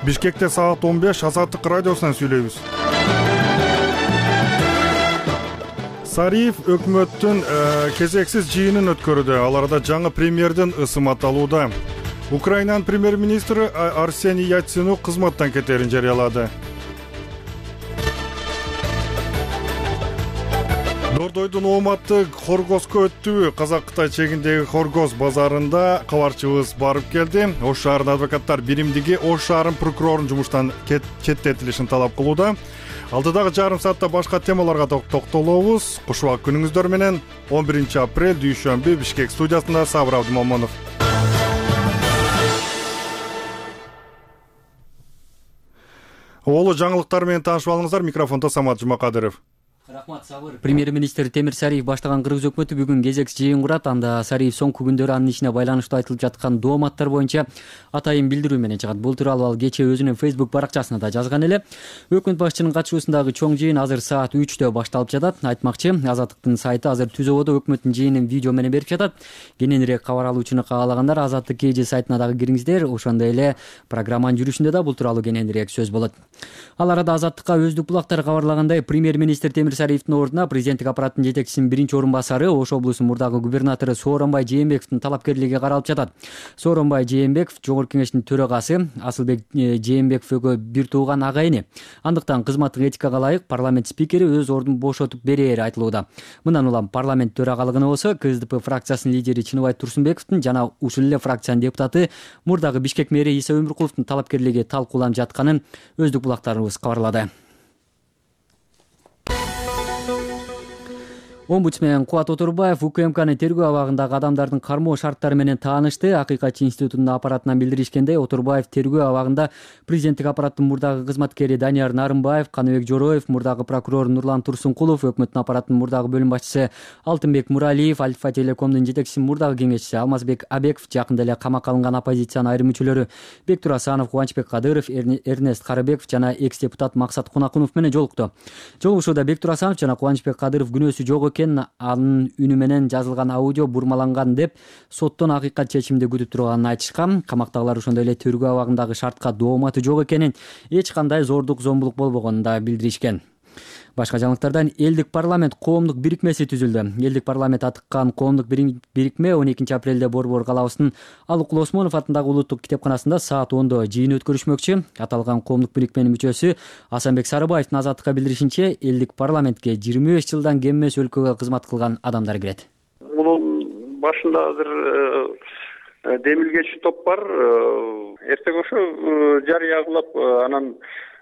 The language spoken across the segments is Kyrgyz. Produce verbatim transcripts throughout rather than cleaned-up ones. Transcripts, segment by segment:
Бишкекте саат он беш Азаттык радиосунан сүйлөйбүз. Сариев өкмөттүн кезексиз жыйынын өткөрүүдө. Ал арада жаңы премьердин ысым аталууда. Украинанын премьер-министри Арсений Яценюк кызматтан кетерин жарыялады. Дордойдун ооматы Хоргозго өттүбү? Казак-Кытай чегиндеги Хоргоз базарында кабарчыбыз барып келди. Ош шаарынын адвокаттар биримдиги Ош шаарынын прокурорунун жумуштан четтетилишин талап кылууда. Алдыдагы жарым саатта башка темаларга токтолобуз. Кушубак күнүңүздөр менен. он биринчи апрель дүйшөмбү Бишкек студиясында Сабыр Абдымомонов. Олу жаңылыктар менен таанышып алыңыздар. Микрофондо Самат Жумакадыров. Рахмат, Сабыр. Премьер-министр Темир Сариев баштаган Кыргыз өкмөтү бүгүн кезекси жыйын курат. Анда Сариев соңку күндөрү анын ишине байланыштуу айтылып жаткан дооматтар боюнча атайын билдирүү менен чыгат. Бул тууралуу ал кечээ өзүнүн Facebook баракчасында да жазган эле. Өкмөт башчынын катышуусундагы чоң жыйын азыр саат үчтө башталып жатат. Айтмакчы, Азаттыктын сайты азыр түз ободо өкмөттүн жыйынын видео менен берип жатат. Кененирээк кабар алуучуну каалагандар Азаттык кей же сайтына дагы кириңиздер. Ошондой эле программанын жүрүшүндө да бул тууралуу кененирээк сөз болот. Ал арада Азаттыкка өздүк булактар кабарлагандай, премьер-министр Темир Сариевдин ордуна президенттик аппараттын жетекчисинин биринчи орун басары, Ош облусунун мурдагы губернатору Сооронбай Жээнбековдун талапкерлиги каралып жатат. Сооронбай Жээнбеков Жогорку кеңештин төрагасы, Асылбек Жээнбеков экөө бир тууган агайыны. Андыктан кызматтык этикага ылайык парламент спикери өз ордун бошотуп берери айтылууда. Мындан улам парламент төрагалыгына болсо КСДП фракциясынын лидери Чыныбай Турсунбековдун жана ушул эле фракциянын депутаты мурдагы Бишкек мэри Иса Өмүркуловдун талапкерлиги талкууланып жатканын өздүк булактарыбыз кабарлады. Омбудсмен Кубат Оторбаев УКМКнын тергөө абагындагы адамдардын кармоо шарттары менен таанышты. Акыйкатчы институтунун аппаратынан билдиришкендей, Оторбаев тергөө абагында президенттик аппараттын мурдагы кызматкери Данияр Нарымбаев, Каныбек Жороев, мурдагы прокурор Нурлан Турсункулов, өкмөттүн аппараттын мурдагы бөлүм башчысы Алтынбек Муралиев, Альфа Телекомдун жетекчиси мурдагы кеңешчиси Алмазбек Абеков, жакында эле камакка алынган оппозициянын айрым мүчөлөрү Бектур Асанов, Кубанычбек Кадыров, Эрнест Карыбеков жана экс-депутат Максат Кунакунов менен жолукту. Жолугушууда Бектур Асанов жана Кубанычбек Кадыров күнөөсү жок анын үнү менен жазылган аудио бурмаланган деп соттон акыйкат чечимди күтүп турганын айтышкан. Камактагылар ошондой эле тергөө абагындагы шартка дооматы жок экенин, эч кандай зордук зомбулук болбогонун да билдиришкен. Башка жаңылыктардан элдик парламент коомдук бирикмеси түзүлдү. Элдик парламент атыккан коомдук бирикме он экинчи апрелде Борбор калаабысынын Алыкул Осмонов атындагы улуттук китепканасында саат ондо жыйын өткөрүшмөкчү. Аталган коомдук бирикменин мүчөсү Асанбек Сарыбаевдин Азаттыкка билдиришинче, элдик парламентке жыйырма беш жылдан кем эмес өлкөгө кызмат кылган адамдар кирет. Мунун башында азыр демилгечи топ бар. Эртең ошо жарыя кылып, анан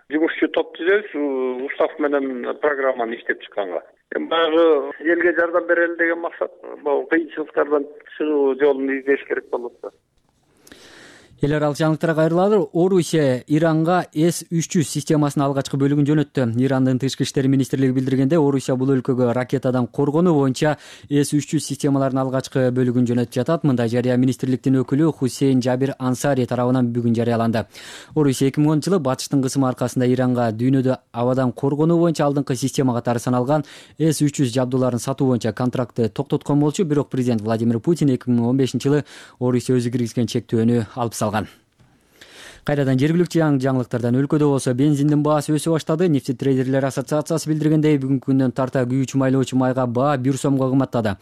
жумушчу топ түзөбүз, устав менен программаны иштеп чыкканга. Баягы элге жардам берели деген максат, бул кыйынчылыктардан чыгуу жолун издеш керек болот да. Эл аралык жаңылыктарга кайрылалы. Орусия Иранга эс үч жүз системасынын алгачкы бөлүгүн жөнөттү. Ирандын тышкы иштер министрлиги билдиргенде, Орусия бул өлкөгө ракетадан коргонуу боюнча эс үч жүз системаларынын алгачкы бөлүгүн жөнөтүп жатат. Мындай жарыя министрликтин өкүлү Хусейн Жабир Ансари тарабынан бүгүн жарыяланды. Орусия эки миң онунчу жылы батыштын кысымы аркасында Иранга дүйнөдө абадан коргонуу боюнча алдыңкы система катары саналган эс үч жүз жабдууларын сатуу боюнча контрактты токтоткон болчу. Бирок президент Владимир Путин эки миң он бешинчи жылы Орусия өзү киргизген чектөөнү алып салган. Кайрадан жергиликтүү жаңылыктардан өлкөдө болсо бензиндин баасы өсө баштады. Нефтетрейдерлер ассоциациясы билдиргендей, бүгүнкү күндөн тарта күйүүчү майлоочу майга баа бир сомго кымбаттады.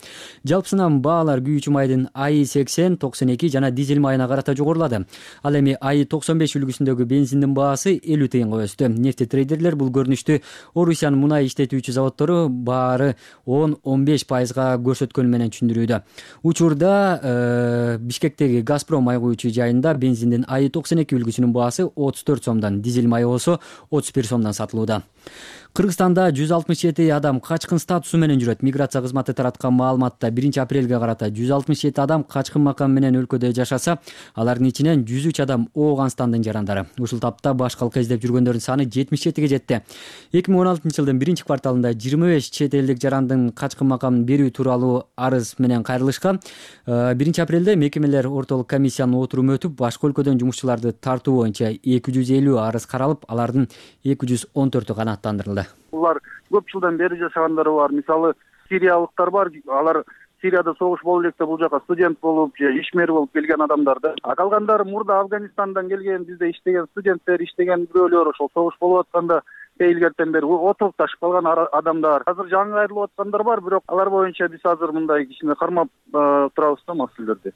Жалпысынан баалар күйүүчү майдын АИ сексен, токсон эки жана дизель майына карата жогорулады. Ал эми АИ токсон беш үлгүсүндөгү бензиндин баасы элүү тыйынга өстү. Нефтетрейдерлер бул көрүнүштү Орусиянын мунай иштетүүчү заводдору баары он он беш пайызга көрсөткөнү менен түшүндүрүүдө. Учурда э, Бишкектеги Газпром май куючу жайында бензиндин АИ токсон эки үлгүсүнүн баасы отуз төрт сомдон, дизель майы болсо отуз бир сомдон сатылууда. Кыргызстанда жүз алтымыш жети адам качкын статусу менен жүрөт. Миграция кызматы тараткан маалыматта биринчи апрелге карата жүз алтымыш жети адам качкын макам менен өлкөдө жашаса, алардын ичинен жүз үч адам Ооганстандын жарандары. Ушул тапта башкалка издеп жүргөндөрдүн саны жетимиш жетиге жетти. эки миң он алтынчы жылдын биринчи кварталында жыйырма беш чет элдик жарандын качкын макамын берүү тууралуу арыз менен кайрылышкан. биринчи апрелде мекемелер ортолук комиссиянын отуруму өтүп, башка өлкөдөн жумушчуларды тартуу боюнча эки жүз элүү арыз каралып, алардын эки жүз он төртү канааттандырылды. Булар көп жылдан бери жашагандары бар. Мисалы, сириялыктар бар. Алар Сирияда согуш боло электе бул жака студент болуп же ишмер болуп келген адамдар да. А калгандары мурда Афганистандан келген, бизде иштеген студенттер, иштеген бирөөлөр ошол согуш болуп атканда илгертен бери отурукташып калган адамдар. Азыр жаңы кайрылып аткандар бар, бирок алар боюнча биз азыр мындай кичине кармап турабыз да маселелерди.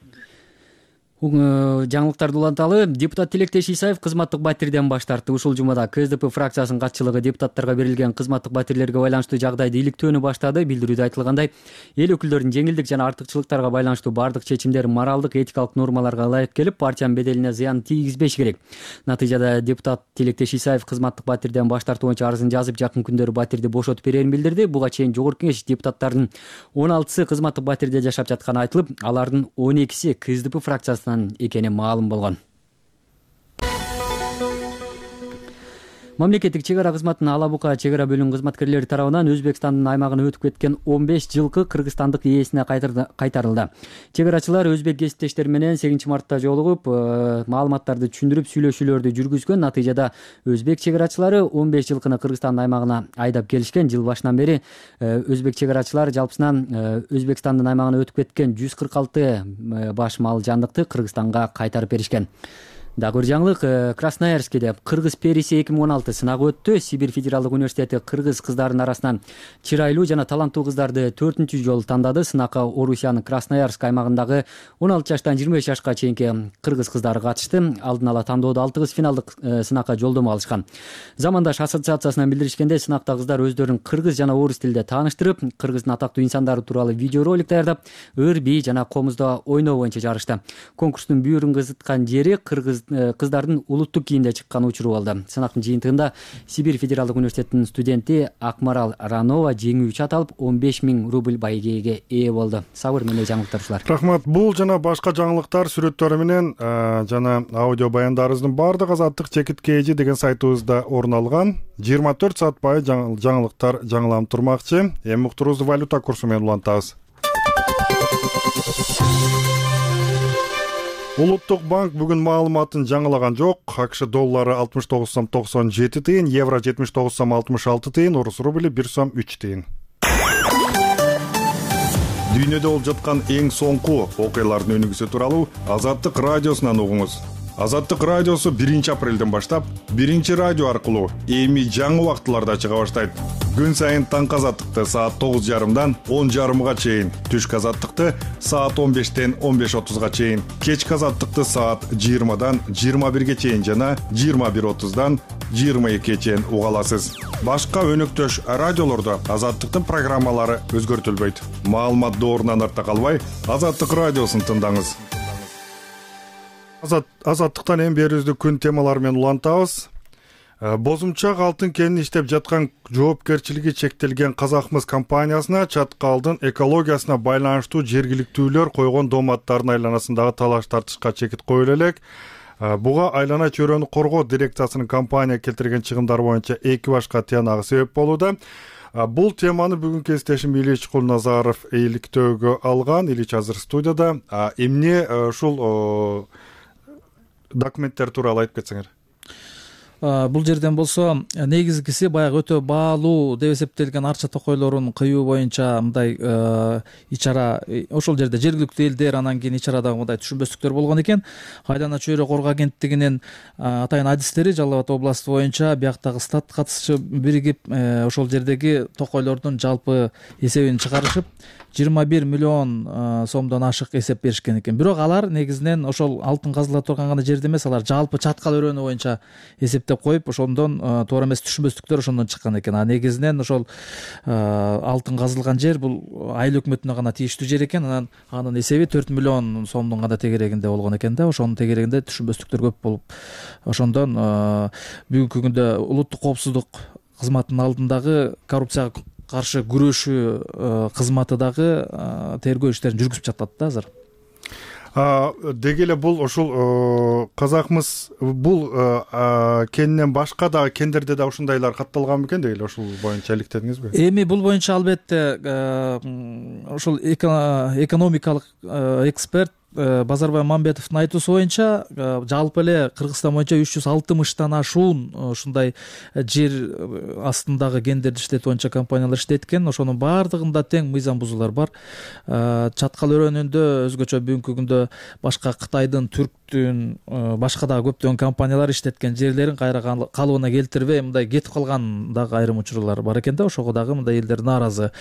Жаңылыктарды уланталы. Депутат Тилектеш Исаев кызматтык батирден баш тартты. Ушул жумада КСДП фракциясынын катчылыгы депутаттарга берилген кызматтык батирлерге байланыштуу жагдайды иликтөөнү баштады. Билдирүүдө айтылгандай, эл өкүлдөрүнүн жеңилдик жана артыкчылыктарга байланыштуу бардык чечимдер моралдык, этикалык нормаларга ылайык келип, партиянын беделине зыян тийгизбеш керек. Натыйжада депутат Тилектеш Исаев кызматтык батирден баш тартуу боюнча арызын жазып, жакын күндөрү батирди бошотуп берерин билдирди. Буга чейин Жогорку Кеңеш депутаттарынын он алтысы кызматтык батирде жашап жатканы айтылып, алардын он экиси КСДП фракциясы экени маалым болгон. Мамлекеттик чек ара кызматынын Ала Бука чек ара бөлүмүнүн кызматкерлери тарабынан Өзбекстандын аймагына өтүп кеткен он беш жылкы кыргызстандык ээсине кайтарылды. Чек арачылар өзбек кесиптештери менен сегизинчи мартта жолугуп, маалыматтарды түшүндүрүп, сүйлөшүүлөрдү жүргүзгөн. Натыйжада өзбек чек арачылары он беш жылкыны Кыргызстандын аймагына айдап келишкен. Жыл башынан бери өзбек чек арачылары жалпысынан Өзбекстандын аймагына өтүп кеткен жүз кырк алты баш мал жандыкты Кыргызстанга кайтарып беришкен. Дагы бир жаңылык, Красноярскиде кыргыз периси эки миң он алты сынагы өттү. Сибирь федералдык университети кыргыз кыздарынын арасынан чырайлуу жана таланттуу кыздарды төртүнчү жолу тандады. Сынакка Орусиянын Красноярск аймагындагы он алты жаштан жыйырма беш жашка чейинки кыргыз кыздары катышты. Алдын ала тандоодо алты кыз финалдык сынакка жолдомо алышкан. Замандаш ассоциациясынан билдиришкенде, сынакта кыздар өздөрүн кыргыз жана орус тилде тааныштырып, кыргыздын атактуу инсандары тууралуу видеоролик даярдап, ыр, бий жана комузда ойноо боюнча жарышты. Конкурстун бүйүрүн кызыткан жери кыргыз кыздардын улуттук кийимде чыккан учуру болду. Сынактын жыйынтыгында Сибирь федералдык университетинин студенти Акмарал Ранова жеңүүчү аталып он беш миң рубль байгеге ээ болду. Сабыр менен жаңылыктар ушулар. Рахмат. Бул жана башка жаңылыктар сүрөттөрү менен жана аудио баяндарыбыздын баардыгы Азаттык чекит кж деген сайтыбызда орун алган. жыйырма төрт саат бою жаңылыктар жаңыланып турмакчы. Эми уктурубузду валюта курсу менен улантабыз. Улуттук банк бүгүн маалыматын жаңылаган жок. АКШ доллары алтымыш тогуз сом токсон жети тыйын, евро жетимиш тогуз сом алтымыш алты тыйын, орус рубли бир сом үч тыйын. Дүйнөдө болуп жаткан эң соңку окуялардын өнүгүүсү тууралуу Азаттык радиосунан угуңуз. Азаттык радиосу биринчи апрелден баштап биринчи радио аркылуу эми жаңы убактыларда чыга баштайт. Күн сайын таңкы Азаттыкты саат тогуз жарымдан он жарымга чейин, түшкү Азаттыкты саат он бештен он беш отузга чейин, кечки Азаттыкты саат жыйырмадан жыйырма бирге чейин жана жыйырма бир отуздан жыйырма экиге чейин уга аласыз. Башка өнөктөш радиолордо Азаттыктын программалары өзгөртүлбөйт. Маалымат доорунан артта калбай, Азаттык радиосун тыңдаңыз. Азаттыктан эми берүүбүздү күн темалары менен улантабыз. Бозумчак алтын кенин иштеп жаткан жоопкерчилиги чектелген Казакмыс компаниясына чаткалдын экологиясына байланыштуу жергиликтүүлөр койгон дооматтардын айланасындагы талаш тартышка чекит коюла элек. Буга айлана чөйрөнү коргоо дирекциясынын компания келтирген чыгымдар боюнча эки башка тыянагы себеп болууда. Бул теманы бүгүн кесиптешим Ильич Кулназаров иликтөөгө алган. Ильич азыр студияда. Эмне ушул документтер тууралуу айтып кетсеңер. Бул жерден болсо негизгиси баягы өтө баалуу деп эсептелген арча токойлорун кыюу боюнча мындай ичара, ошол жерде жергиликтүү элдер, анан кийин ичарада мындай түшүнбөстүктөр болгон экен. Айлана чөйрө коргоо агенттигинин атайын адистери Жалал Абад областы боюнча бияктагы стат катышчы биригип ошол жердеги токойлордун жалпы эсебин чыгарышып жыйырма бир миллион сомдон ашык эсеп беришкен экен. Бирок алар негизинен ошол алтын казыла турган гана жерде эмес, алар жалпы чаткал өрөөнү боюнча эсептеп коюп, ошондон туура эмес түшүнбөстүктөр ошондон чыккан экен. А негизинен ошол алтын казылган жер бул айыл өкмөтүнө гана тийиштүү жер экен. Анан анын эсеби төрт миллион сомдун гана тегерегинде болгон экен да. Ошонун тегерегинде түшүнбөстүктөр көп болуп, ошондон бүгүнкү күндө улуттук коопсуздук кызматынын алдындагы коррупцияга каршы күрөшүү кызматы дагы тергөө иштерин жүргүзүп жатат да азыр. Деги эле бул ушул Казакмыс бул кенинен башка да кендерде да ушундайлар катталган бекен, деги эле ушул боюнча иликтедиңизби? Эми бул боюнча албетте ушул экономикалык эксперт Базарбай Мамбетовдун айтуусу боюнча жалпы эле Кыргызстан боюнча үч жүз алтымыштан ашуун ушундай жер астындагы кендерди иштетүү боюнча компаниялар иштейт экен. Ошонун баардыгында тең мыйзам бузуулар бар. Чаткал өрөөнүндө өзгөчө бүгүнкү күндө башка Кытайдын, Түрктүн, башка дагы көптөгөн компаниялар иштеткен жерлерин кайра калыбына келтирбей мындай кетип калган дагы айрым учурлар бар экен да. Ошого дагы мындай элдер нааразы.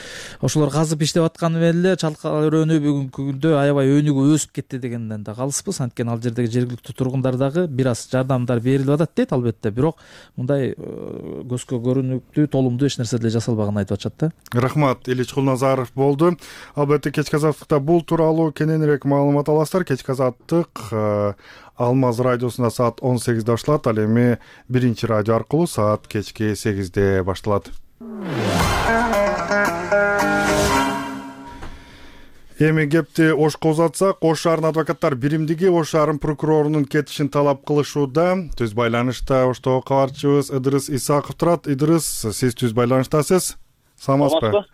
Ошолор казып иштеп атканы менен эле Чаткал өрөөнү бүгүнкү күндө аябай өнүгүп өсүп кетти дегенден да калыспыз. Анткени ал жердеги жергиликтүү тургундар дагы бир аз жардамдар берилип атат дейт албетте, бирок мындай көзгө көрүнүктүү, толумдуу эч нерсе деле жасалбаганын айтып атышат да. Рахмат, Ильич Кулназаров болду. Албетте кечки азаттыкта бул тууралуу кененирээк маалымат аласыздар. Кечки азаттык Алмаз радиосунда саат он сегизде башталат, ал эми биринчи радио аркылуу саат кечки сегизде башталат. Эми кепти Ошко узатсак, Ош шаарынын адвокаттар биримдиги Ош шаарынын прокурорунун кетишин талап кылышууда. Түз байланышта Оштогу кабарчыбыз Ыдырыс Исаков турат. Ыдырыс, сиз түз байланыштасыз. Саламатсызбы?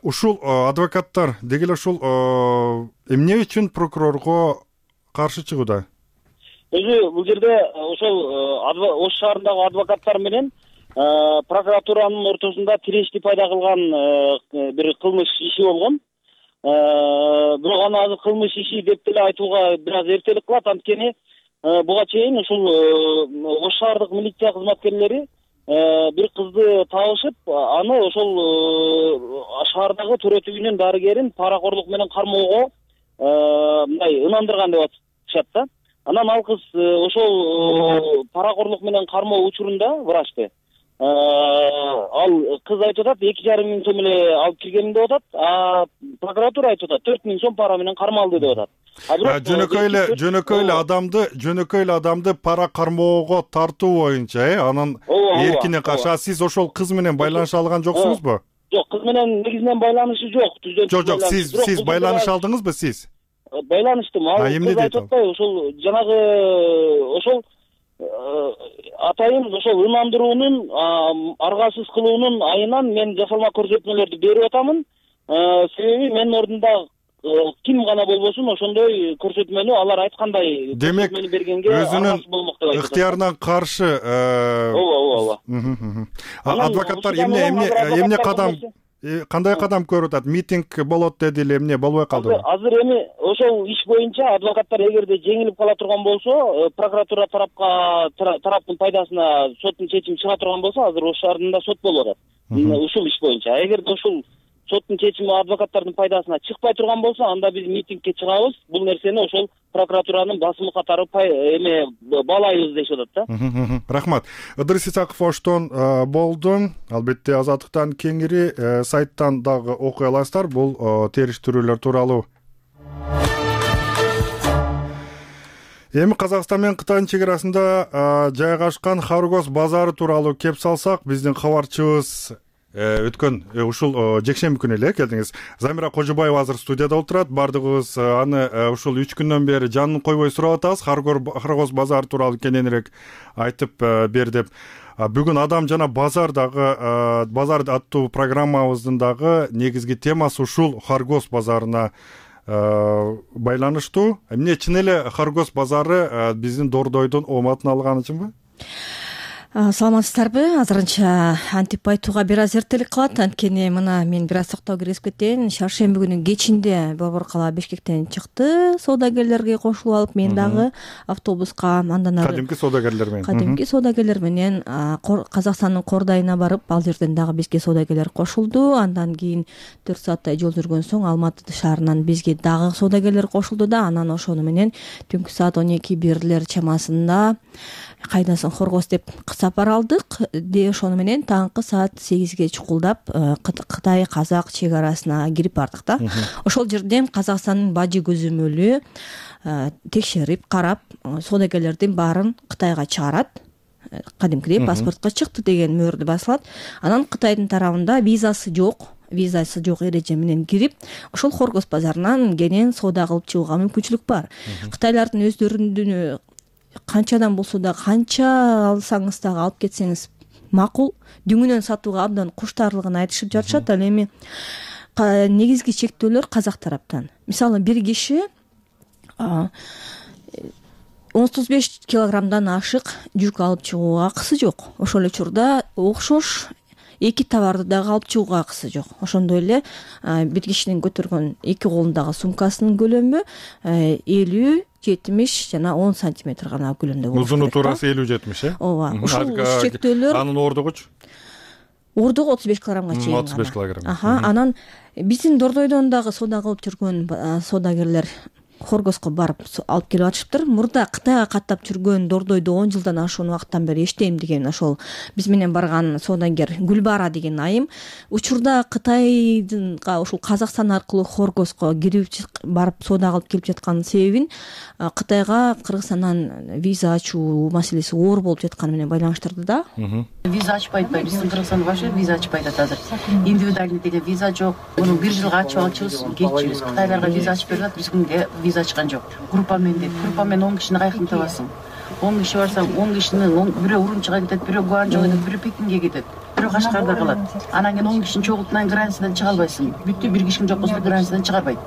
Ушул адвокаттар деги эле ушул эмне үчүн прокурорго каршы чыгууда? Өзү бул жерде ошол Ош шаарындагы адвокаттар менен прокуратуранын ортосунда тирешти пайда кылган бир кылмыш иши болгон. Бирок аны азыр кылмыш иши деп деле айтууга бир аз эртелик кылат. Анткени буга чейин ушул Ош шаардык милиция кызматкерлери бир кызды табышып, аны ошол шаардагы төрөт үйүнүн дарыгерин паракорлук менен кармоого мындай ынандырган деп атышат да. Анан ал кыз ошол паракорлук менен кармоо учурунда врачты ал кыз айтып атат эки жарым миң сом эле алып киргенин деп атат, а прокуратура айтып атат төрт миң сом пара менен кармалды деп атат. Жөнөкөй эле жөнөкөй эле адамды жөнөкөй эле адамды пара кармоого тартуу боюнча, э, анын эркине каршы. Сиз ошол кыз менен байланыша алган жоксуңузбу? Жок, кыз менен негизинен байланышы жок. Жок, жок, сиз сиз байланыш алдыңызбы сиз? Байланыштым. Ал кыз айтып атпайбы, ошол жанагы ошол атайын ошол ынандыруунун, аргасыз кылуунун айынан мен жасалма көрсөтмөлөрдү берип атамын. Себеби менин ордунда ким гана болбосун ошондой көрсөтмөнү алар айткандай көрсөтмөнү бергенге аргасыз болмок деп айтат. Ыктыярынан каршы. Ооба, ооба. Адвокаттар эмне эмне эмне кадам кандай кадам көрүп атат? Митинг болот деди эле, эмне болбой калдыбы? Азыр эми ошол иш боюнча адвокаттар эгерде жеңилип кала турган болсо, прокуратура тарапка тараптын пайдасына соттун чечими чыга турган болсо, азыр Ош шаарында сот болуп атат. Ушул иш боюнча. Эгерде ушул соттун чечими адвокаттардын пайдасына чыкпай турган болсо, анда биз митингке чыгабыз. Бул нерсени ошол прокуратуранын басымы катары эме баалайбыз дешип атат да. Рахмат. Ыдырыс Исаков Оштон болду. Албетте Азаттыктан кеңири сайттан дагы окуй аласыздар. Бул териштирүүлөр тууралуу. Эми Казакстан менен Кытайдын чек арасында жайгашкан Хоргоз базары тууралуу кеп салсак, биздин кабарчыбыз өткөн ушул жекшемби күнү эле келдиңиз. Замира Кожобаева азыр студияда отурат. Бардыгыбыз аны ушул үч күндөн бери жанын койбой сурап атабыз. Хоргоз базары тууралуу кененирээк айтып бер деп. Бүгүн адам жана базар дагы базар аттуу программабыздын дагы негизги темасы ушул Хоргоз базарына байланыштуу. Эмне чын эле Хоргоз базары биздин Дордойдун ооматын алган үчүнбү? Саламатсыздарбы? Азырынча антип айтууга бир аз эртелик кылат. Анткени мына мен бир аз токтоо киргизип кетейин. Шаршемби күнү кечинде Борбор кала Бишкектен чыкты, соодагерлерге кошулуп алып, мен дагы автобуска андан ары кадимки соодагерлер менен кадимки соодагерлер менен Казакстандын Кордайына барып, ал жерден дагы бизге соодагерлер кошулду. Андан кийин төрт сааттай жол жүргөн соң Алматы шаарынан бизге дагы соодагерлер кошулду да. Анан ошону менен түнкү саат он эки бирлер чамасында кайдасың Хоргоз деп сапар алдык. Де ошону менен таңкы саат сегизге чукулдап Кытай Казак чек арасына кирип бардык да. Ошол жерден Казакстандын бажы көзөмөлү текшерип, карап, соодагерлердин баарын Кытайга чыгарат. Кадимкидей паспортко чыкты деген мөөрдү басылат. Анан Кытайдын тарабында визасы жок, визасы жок эреже менен кирип, ошол Хоргоз базарынан кенен соода кылып чыгууга мүмкүнчүлүк бар. Кытайлардын өздөрүнүн канчадан болсо да, канча алсаңыз дагы алып кетсеңиз макул, дүңүнөн сатууга абдан куштарлыгын айтышып жатышат. Ал эми негизги чектөөлөр Казак тараптан. Мисалы, бир киши отуз беш килограммдан ашык жүк алып чыгууга акысы жок. Ошол эле учурда окшош эки товарды дагы алып чыгууга акысы жок. Ошондой эле бир кишинин көтөргөн эки колундагы сумкасынын көлөмү элүү жетимиш жана он сантиметр гана көлөмдө болуш керек. Узуну туурасы элүү жетимиш э? Ооба. Ушул чектөөлөр. Анын ордугучу? Ордугу отуз беш килограммга чейин. отуз беш килограмм. Аха, анан биздин Дордойдон дагы соода кылып жүргөн соодагерлер Хоргоско барып алып келип атышыптыр. Мурда Кытайга каттап жүргөн Дордойдо он жылдан ашуун убакыттан бери иштейм деген ошол биз менен барган соодагер Гүлбара деген айым учурда Кытайдынга ушул Казакстан аркылуу Хоргоско кирип барып соода кылып келип жатканын себебин Кытайга Кыргызстандан виза ачуу маселеси оор болуп жатканы менен байланыштырды да. Виза ачпай атпайбы? Биздин Кыргызстан вообще виза ачпайт атат азыр. Индивидуальный деген виза жок. Муну бир жылга ачып алчубыз, кетчүбүз. Кытайларга виза ачып берип атат, биз күнгө виза ачкан жок. Группа менен дейт. Группа менен он кишини кайкын табасың. он киши барсаң, он кишинин бирөө Урумчига кетет, бирөө Гуанчжоуга кетет, бирөө Пекинге кетет, бирөө Кашкарда калат. Анан кийин он кишини чогултуп границадан чыга албайсың. Бүттү, бир киши жок болсо границадан чыгарбайт.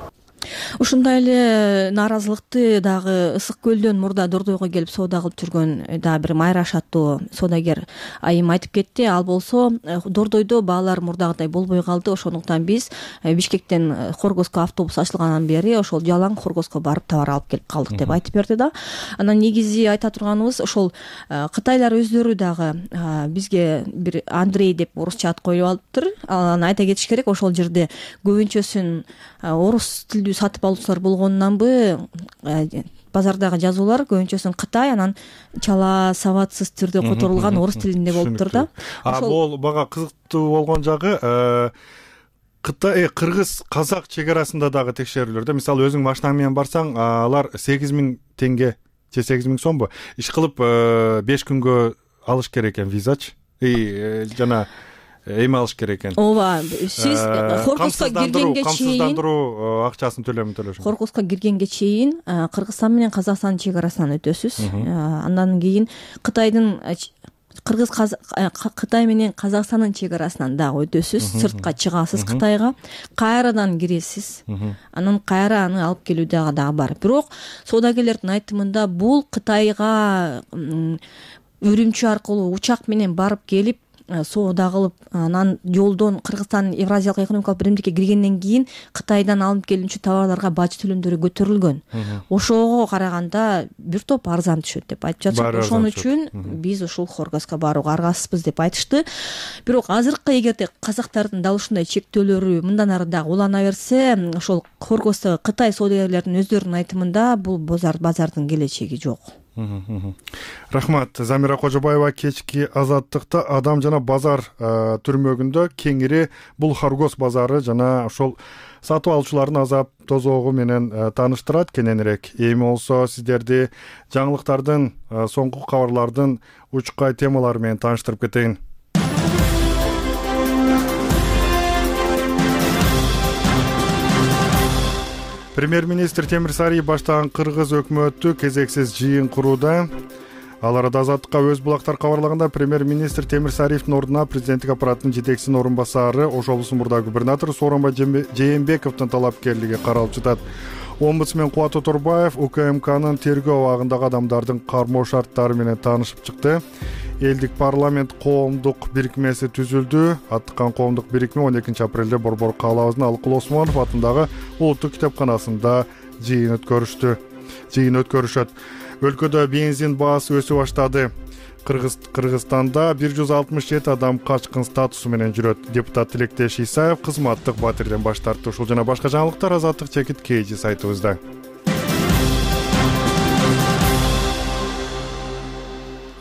Ушундай эле нааразылыкты дагы Ысык көлдөн мурда Дордойго келип соода кылып жүргөн дагы бир Майраш аттуу соодагер айым айтып кетти. Ал болсо Дордойдо баалар мурдагыдай болбой калды. Ошондуктан биз Бишкектен Хоргоско автобус ачылгандан бери ошол жалаң Хоргоско барып товар алып келип калдык деп айтып берди да. Анан негизи айта турганыбыз ошол Кытайлар өздөрү дагы бизге бир Андрей деп орусча ат коюп алыптыр. Аны айта кетиш керек. Ошол жерде көбүнчөсүн орус тилдүү сатып алуучулар болгонунанбы базардагы жазуулар көбүнчөсүн Кытай, анан чала сабатсыз түрдө которулган орус тилинде болуптур да. А бул бага кызыктуу болгон жагы Кытай, Кыргыз, Казак чек арасында дагы текшерүүлөр да. Мисалы өзүң машинаң менен барсаң, алар сегиз миң теңге же сегиз миң сомбу иш кылып беш күнгө алыш керек экен визачы. И жана эме алыш керек экен. Ооба, сиз Хоргоско киргенге чейин камсыздандыруу акчасын төлөмүн төлөшүң. Хоргоско киргенге чейин Кыргызстан менен Казакстандын чек арасынан өтөсүз. Андан кийин Кытайдын Кыргыз Кытай менен Казакстандын чек арасынан дагы өтөсүз. Сыртка чыгасыз Кытайга, кайрадан киресиз. Анан кайра аны алып келүү дагы дагы бар. Бирок соодагерлердин айтымында бул Кытайга Үрүмчү аркылуу учак менен барып келип соода кылып, анан жолдон Кыргызстан Евразиялык экономикалык биримдикке киргенден кийин Кытайдан алынып келүүчү товарларга бажы төлөмдөрү көтөрүлгөн. Ошого караганда бир топ арзан түшөт деп айтып жатышат. Ошон үчүн биз ушул Хоргоско барууга аргасызбыз деп айтышты. Бирок азыркы эгерде казактардын дал ушундай чектөөлөрү мындан ары дагы улана берсе, ошол Хоргосто Кытай соодагерлеринин өздөрүнүн айтымында бул базар базардын келечеги жок. Рахмат. Замира Кожобаева кечки Азаттыкта адам жана базар түрмөгүндө кеңири бул Хоргос базары жана ошол сатып алуучулардын азап тозогу менен тааныштырат кененирээк. Эми болсо сиздерди жаңылыктардын, соңку кабарлардын учкай темалары менен тааныштырып кетейин. Премьер-министр Темирсарий баштаган Кыргыз өкмөтү кезексиз жыйын курууда. Ал арада Азаттыкка өз булактар кабарлаганда премьер-министр Темирсариевдин ордуна президенттик аппараттын жетекчисинин орун басары, Ош облусунун мурдагы губернатору Сооронбай Жээнбековдун талапкерлиги каралып жатат. Омбудсмен Кубат Оторбаев УКМКнын тергөө абагындагы адамдардын кармоо шарттары менен таанышып чыкты. Элдик парламент коомдук бирикмеси түзүлдү. Аттыккан коомдук бирикме он экинчи апрелде Борбор каалабыбыздын Алыкул Осмонов атындагы Улуттук китепканасында жыйын өткөрүштү. Жыйын өткөрүшөт. Өлкөдө бензин баасы өсүп баштады. Кыргызстанда бир жүз алтымыш жети адам качкын статусу менен жүрөт. Депутат Тилектеш Исаев кызматтык батирден баш тартты. Ушул жана башка жаңылыктар Азаттык чекит Кейжи сайтыбызда.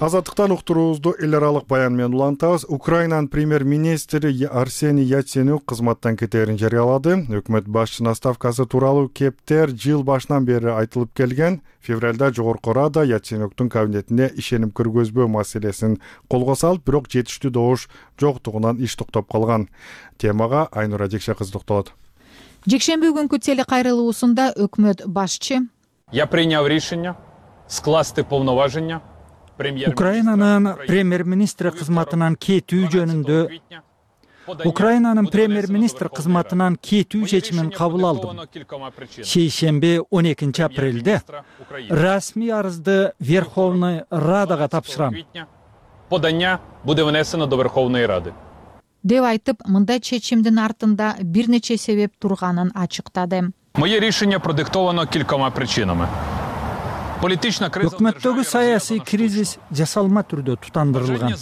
Азаттыктан уктуруубузду эл аралык баян менен улантабыз. Украинанын премьер-министри Арсений Яценюк кызматтан кетээрин жарыялады. Өкмөт башчынын отставкасы тууралуу кептер жыл башынан бери айтылып келген. Февралда Жогорку Рада Яценюктун кабинетине ишеним киргизбөө маселесин колго салып, бирок жетиштүү добуш жоктугунан иш токтоп калган. Темага Айнура Жекше кызы токтолот. Жекшемби күнкү телекайрылуусунда өкмөт башчы Я принял решение скласти повноваження Украинанын премьер-министри кызматынан кетүү жөнүндө Украинанын премьер-министр кызматынан кетүү чечимин кабыл алдым. Шейшемби он экинчи апрелде расмий арызды Верховной Радага тапшырам. Подання буде внесено до Верховної Ради. деп айтып, мындай чечимдин артында бир нече себеп турганын ачыктады. Моє рішення продиктовано кількома причинами. Політична криза өкмөттөгү саясий кризис жасалма түрдө тутандырылган.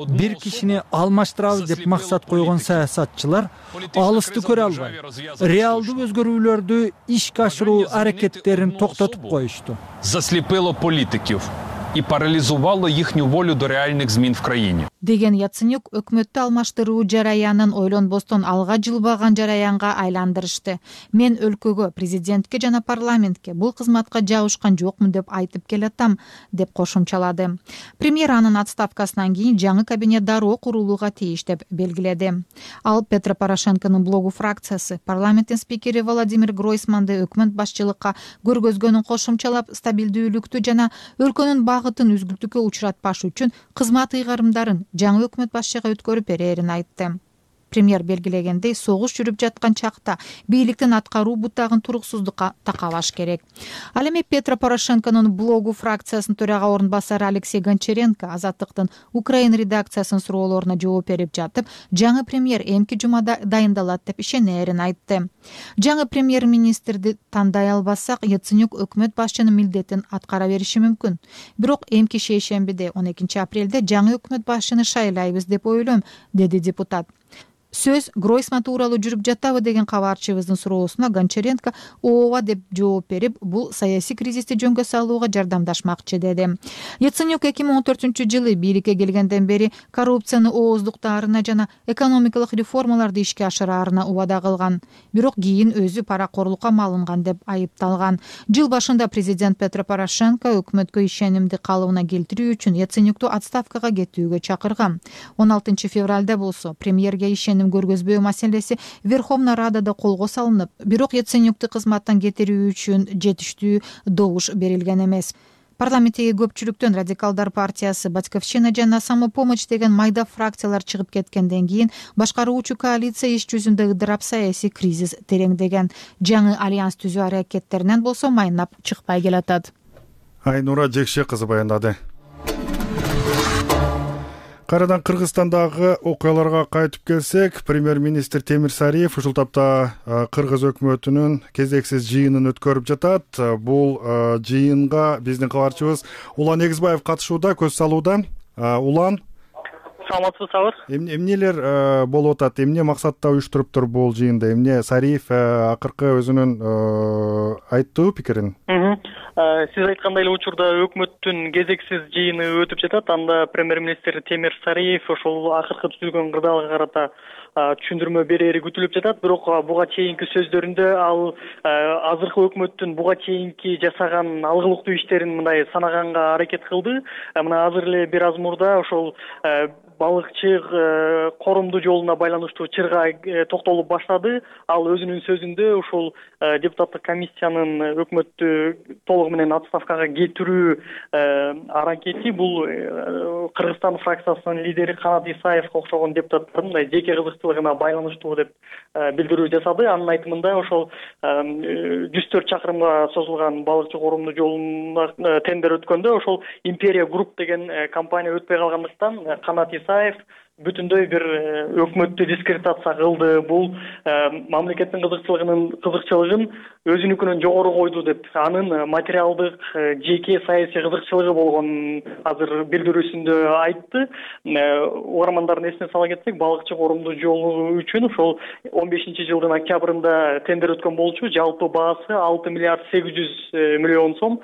Бир кишини алмаштырабыз деп максат койгон саясатчылар алысты көрө албай, реалдуу өзгөрүүлөрдү ишке ашыруу аракеттерин токтотуп коюшту. Засліпило політиків і паралізувало їхню волю до реальних змін в країні. Деген Яценюк өкмөттү алмаштыруу жараянын ойлонбостон алга жылбаган жараянга айландырышты. Мен өлкөгө, президентке жана парламентке бул кызматка жабышкан жокмун деп айтып келатам, деп кошумчалады. Премьер анын отставкасынан кийин жаңы кабинет дароо курулууга тийиш деп белгиледи. Ал Петро Порошенконун блогу фракциясы парламенттин спикери Владимир Гройсманды өкмөт башчылыкка көргөзгөнүн кошумчалап, стабилдүүлүктү жана өлкөнүн багытын үзгүлтүккө учуратпаш үчүн кызмат ыйгарымдарын жаңы өкмөт башчыга өткөрүп берерин айтты. Премьер белгилегендей, согуш жүрүп жаткан чакта бийликтин аткаруу бутагын туруксуздукка такабаш керек. Ал эми Петро Порошенконун блогу фракциясынын төрага орун басары Алексей Гончаренко Азаттыктын Украина редакциясынын суроолоруна жооп берип жатып, жаңы премьер эмки жумада дайындалат деп ишенерин айтты. Жаңы премьер-министрди тандай албасак, Яценюк өкмөт башчынын милдетин аткара бериши мүмкүн. Бирок эмки шейшембиде он экинчи апрелде жаңы өкмөт башчыны шайлайбыз деп ойлойм, деди депутат. Сөз Гройсман тууралуу жүрүп жатабы деген кабарчыбыздын суроосуна Гончаренко ооба деп жооп берип, бул саясий кризисти жөнгө салууга жардамдашмакчы деди. Яценюк эки миң он төртүнчү жылы бийликке келгенден бери коррупцияны ооздуктаарына жана экономикалык реформаларды ишке ашыраарына убада кылган. Бирок кийин өзү паракорлукка малынган деп айыпталган. Жыл башында президент Петро Порошенко өкмөткө ишенимди калыбына келтирүү үчүн Яценюкту отставкага кетүүгө чакырган. он алтынчы февралда болсо премьерге ишеним көргөзбөө маселеси Верховная Радада колго салынып, бирок Яценюкту кызматтан кетирүү үчүн жетиштүү добуш берилген эмес. Парламенттеги көпчүлүктөн Радикалдар партиясы, Батьковщина жана Самопомощь деген майда фракциялар чыгып кеткенден кийин башкаруучу коалиция иш жүзүндө ыдырап саясий кризис тереңдеген. Жаңы альянс түзүү аракеттеринен болсо майнап чыкпай келатат. Айнура Жекше кызы баяндады. Кайрадан Кыргызстандагы окуяларга кайтып келсек, премьер-министр Темир Сариев ушул тапта Кыргыз өкмөтүнүн кезексиз жыйынын өткөрүп жатат. Бул жыйынга биздин кабарчыбыз Улан Эгизбаев катышууда, көз салууда. Улан, саламатсызбы? Эмнелер болуп атат? Эмне максатта уюштуруптур бул жыйынды? Эмне Сариев акыркы өзүнүн айттуу пикирин? Сиз айткандай эле учурда өкмөттүн кезексиз жыйыны өтүп жатат. Анда премьер-министр Темир Сариев ошол акыркы түзүлгөн кырдаалга карата түшүндүрмө берери күтүлүп жатат. Бирок буга чейинки сөздөрүндө ал азыркы өкмөттүн буга чейинки жасаган алгылыктуу иштерин мындай санаганга аракет кылды. Мына азыр эле бир аз мурда ошол балыкчы корумдуу жолуна байланыштуу чырга токтолуп баштады. Ал өзүнүн сөзүндө ошол депутаттык комиссиянын өкмөттү толугу менен отставкага кетирүү аракети бул Кыргызстан фракциясынын лидери Канат Исаевге окшогон депутаттардын мындай жеке кызыкчылыгына байланыштуу деп билдирүү жасады. Анын айтымында ошол жүз төрт чакырымга созулган балыкчы корумдуу жолуна тендер өткөндө ошол Империя Групп деген компания өтпөй калгандыктан Канат Исаев бүтүндөй бир өкмөттү дискредитация кылды. Бул мамлекеттин кызыкчылыгынын кызыкчылыгын өзүнүкүнөн жогору койду деп, анын материалдык жеке саясий кызыкчылыгы болгонун азыр билдирүүсүндө айтты. Угармандардын эсине сала кетсек, балыкчы корумдуу жолу үчүн ошол он бешинчи жылдын октябрында тендер өткөн болчу. Жалпы баасы алты миллиард сегиз жүз миллион сом.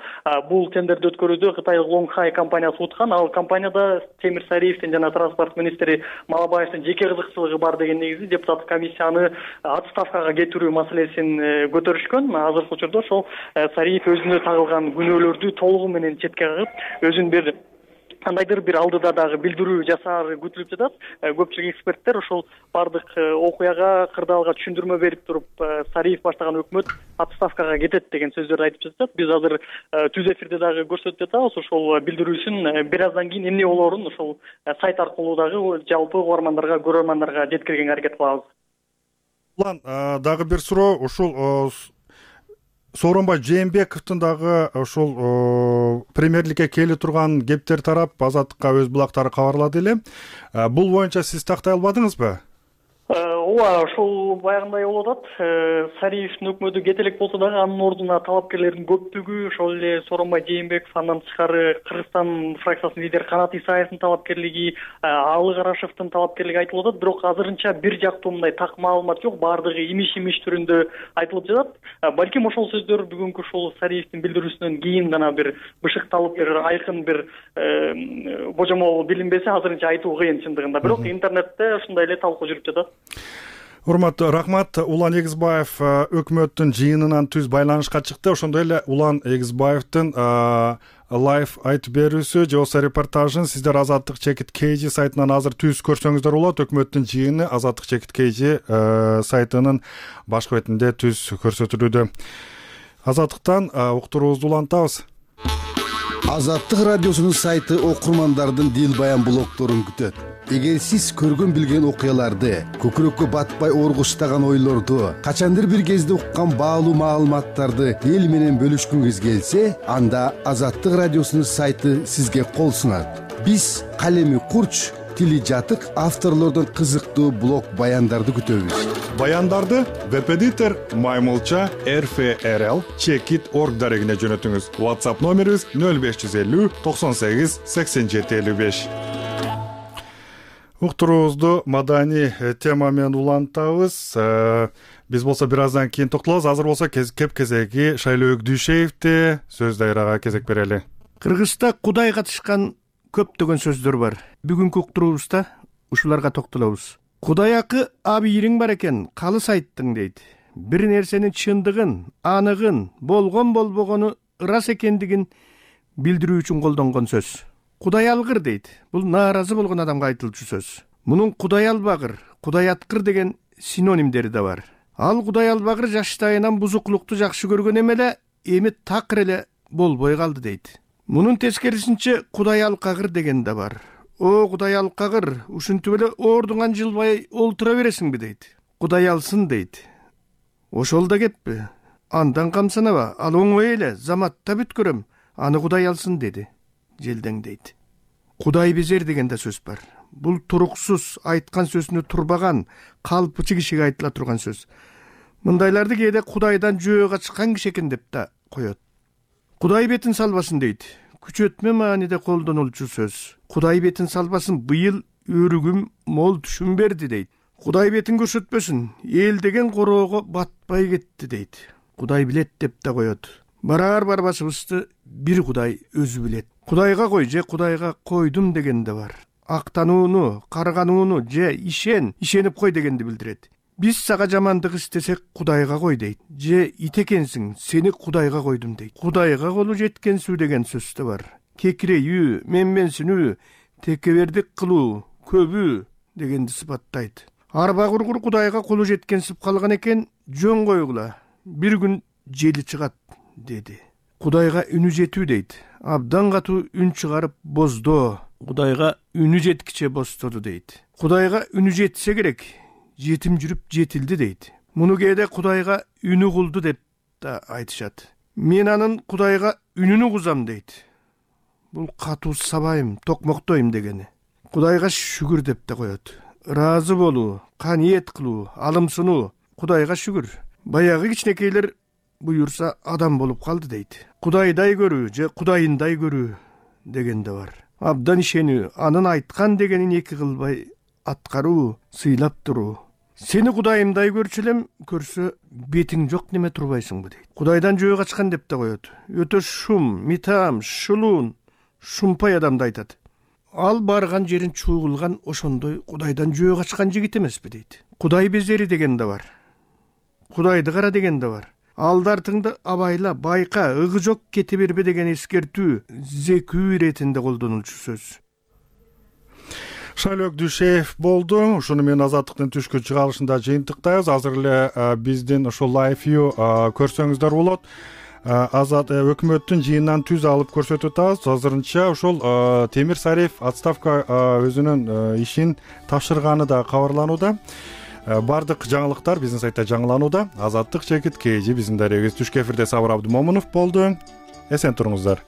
Бул тендерди өткөрүүдө Кытайлык Лонгхай компаниясы уткан. Ал компанияда Темир Сариевдин жана транспорт министри Малабаевдин жеке кызыкчылыгы бар деген негизде депутаттык комиссияны отставкага кетирүү маселесин көтөрүшкөн. Азыркы учурда ошол Сариев өзүнө тагылган күнөөлөрдү толугу менен четке кагып, өзүн бир кандайдыр бир алдыда дагы билдирүү жасаары күтүлүп жатат. Көпчүлүк эксперттер ошол баардык окуяга, кырдаалга түшүндүрмө берип туруп, Сариев баштаган өкмөт отставкага кетет деген сөздөрдү айтып жатат. Биз азыр түз эфирде дагы көрсөтүп жатабыз. Ошол билдирүүсүн бир аздан кийин эмне болоорун ошол сайт аркылуу дагы жалпы угармандарга, көрөрмандарга жеткиргенге аракет кылабыз. Улан, дагы бир суроо, ушул Сооронбай Жээнбековдун дагы ошол премьерликке келе турган кептер тарап Азаттыкка өз булактары кабарлады эле. Бул боюнча сиз тактай албадыңызбы? Ооба, ошол баягындай болуп атат. Сариевдин өкмөтү кете элек болсо дагы анын ордуна талапкерлердин көптүгү, ошол эле Сооронбай Жээнбеков, андан тышкары Кыргызстан фракциясынын лидери Канат Исаевдин талапкерлиги, Алы Карашевдин талапкерлиги айтылып атат. Бирок азырынча бир жактуу мындай так маалымат жок, баардыгы имиш-имиш түрүндө айтылып жатат. Балким ошол сөздөр бүгүнкү ушул Сариевдин билдирүүсүнөн кийин гана бир бышыкталып, бир айкын бир божомол билинбесе, азырынча айтуу кыйын чындыгында. Бирок интернетте ушундай эле талкуу жүрүп жатат. Урматтуу, рахмат. Улан Эгизбаев өкмөттүн жыйынынан түз байланышка чыкты. Ошондой эле Улан Эгизбаевдин лайв айтып берүүсү же болбосо репортажын сиздер Азаттык чекит kg сайтынан азыр түз көрсөңүздөр болот. Өкмөттүн жыйыны Азаттык чекит kg сайтынын башкы бетинде түз көрсөтүлүүдө. Азаттыктан уктуруубузду улантабыз. Азаттык радиосунун сайты окурмандардын дил баян блогдорун күтөт. Эгер сиз көргөн билген окуяларды, көкүрөккө батпай оргуштаган ойлорду, качандыр бир кезде уккан баалуу маалыматтарды эл менен бөлүшкүңүз келсе, анда Азаттык радиосунун сайты сизге кол сунат. Биз калеми курч, тили жатык авторлордун кызыктуу блог баяндарды күтөбүз. Баяндарды веб-эдитор Маймылча эр эф эр эл чекит точка орг дарегине жөнөтүңүз. WhatsApp номерибиз нөл беш жүз элүү токсон сегиз сексен жети элүү беш. Уктуруубузду маданий тема менен улантабыз. Биз болсо бир аздан кийин токтолобуз. Азыр болсо кеп кезеги Шайлообек Дүйшеевди сөз дайрага кезек берели. Кыргызда Кудай катышкан көптөгөн сөздөр бар. Бүгүнкү уктуруубузда ушуларга токтолобуз. Кудай акы абийириң бар экен, калыс айттың дейт. Бир нерсенин чындыгын, аныгын, болгон болбогону ырас экендигин билдирүү үчүн колдонгон сөз. Кудай алгыр дейт. Бул нааразы болгон адамга айтылчу сөз. Мунун Кудай албагыр, Кудай аткыр деген синонимдери да бар. Ал Кудай албагыр жаштайынан бузуклукту жакшы көргөн эмеле, эми такыр эле болбой калды дейт. Мунун тескерисинче Кудай алкагыр деген да бар. О, Кудай алкагыр, ушинтип эле ордуңан жылбай олтура бересиңби дейт. Кудай алсын дейт. Ошол да кеппи. Андан камсанаба, ал оңой эле, заматта бүткөрөм, аны Кудай алсын деди. Желдең дейт. Кудай безер деген да сөз бар. Бул туруксуз айткан сөзүнө турбаган, калпычы кишиге айтыла турган сөз. Мындайларды кээде Кудайдан жөө качкан киши экен деп да коет. Кудай бетин салбасын дейт. Күчөтмө мааниде колдонулчу сөз. Кудай бетин салбасын, быйыл өрүгүм мол түшүм берди дейт. Кудай бетин көрсөтпөсүн, эл деген короого батпай кетти дейт. Кудай билет деп да коет. Барар барбашыбызды бир Кудай өзү билет. Кудайга кой же Кудайга койдум деген да бар. Актанууну, карганууну же ишен, ишенип кой дегенди билдирет. Биз сага жамандык истесек Кудайга кой дейт. Же ит экенсиң, сени Кудайга койдум дейт. Кудайга колу жеткенсүү деген сөз да бар. Кекирейүү, менменсинүү, текебердик кылуу, көбүү дегенди сыпаттайт. Арба кургур Кудайга колу жеткенсип калган экен, жөн койгула. Бир күн жели чыгат деди. Кудайга үнү жетүү дейт. Абдан катуу үн чыгарып боздоо. Кудайга үнү жеткиче бостоду дейт. Кудайга үнү жетсе керек, жетим жүрүп жетилди дейт. Муну кээде Кудайга үнү кулду деп да айтышат. Мен анын Кудайга үнүнү кузам дейт. Бул катуу сабайым, токмоктойм дегени. Кудайга шүгүр деп да коет. Ыраазы болуу, каниет кылуу, алымсынуу. Кудайга шүгүр. Баягы кичинекейлер буюрса адам болуп калды дейт. Кудайдай көрүү же Кудайындай көрүү деген да бар. Абдан ишенүү, анын айткан дегенин эки кылбай аткаруу, сыйлап туруу. Сени Кудайымдай көрчү элем, көрсө бетиң жок неме турбайсыңбы дейт. Кудайдан жөө качкан деп да коет. Өтө шум, митам, шулуун, шумпай адамды айтат. Ал барган жерин чуугулган ошондой Кудайдан жөө качкан жигит эмеспи дейт. Кудай безери деген да бар. Кудайды кара деген да бар. алдартыңды абайла, байка, ыгы жок кете бербе деген эскертүү зекүү иретинде колдонулчу сөз. Шайлок Дүйшеев болду. Ушуну менен Азаттыктын түшкү чыгарылышында жыйынтыктайбыз. Азыр эле биздин ушул лайв вью көрсөңүздөр болот. Азат өкмөттүн жыйынынан түз алып көрсөтүп атабыз. Азырынча ушул Темир Сариев отставка өзүнүн ишин тапшырганы да кабарланууда. Бардык жаңылыктар биздин сайтта жаңыланууда. Азаттык Чекит Кээжи биздин дарегибиз түшкү эфирде Сабыр Абдымомунов болду. Эсен туруңуздар.